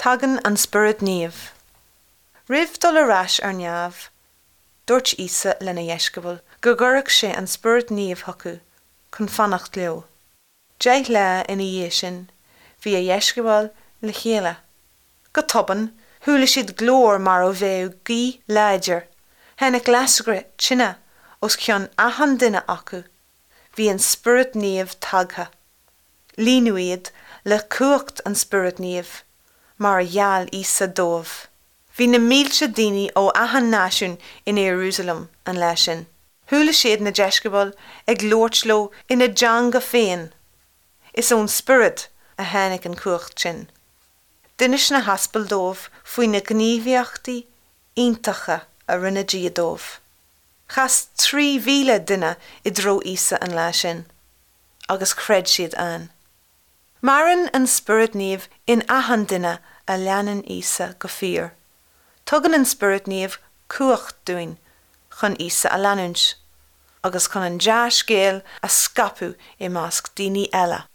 Tagann an Spiorad Naomh. Roimh dul ar ais ar neamh, dúirt Íosa lena dheisceabail go gcuirfeadh sé an Spiorad Naomh chucu chun fanacht leo. 10 lá ina dhiaidh sin, bhí a dheisceabail le chéile. Go tobann, chuala siad glór mar a bheadh gaoth láidir. Tháinig lascaire tine os cionn achan duine acu. Bhí an Spiorad Naomh tagtha. Líonadh iad le cumhacht an Spioraid Naoimh, mar a gheall Íosa dóibh. Bhí na mílte daoine ó achan náisiún in Iarúsailéim an lá sin. Chuala siad na deisceabail ag labhairt leo ina dteanga féin. Is ón Spiorad a tháinig an chumhacht sin. D'inis na haspail dóibh faoi na gníomhaíochtaí iontacha a rinne Dia dóibh. Chas 3,000 duine i dtreo Íosa an lá sin. agus chreid siad ann. Maireann an Spiorad Naomh in achan duine a leanann Íosa go fíor. Tugann an Spiorad Naomh cumhacht dúinn chun Íosa a leanúint, agus chun an dea-scéal a scaipeadh i measc daoine eile.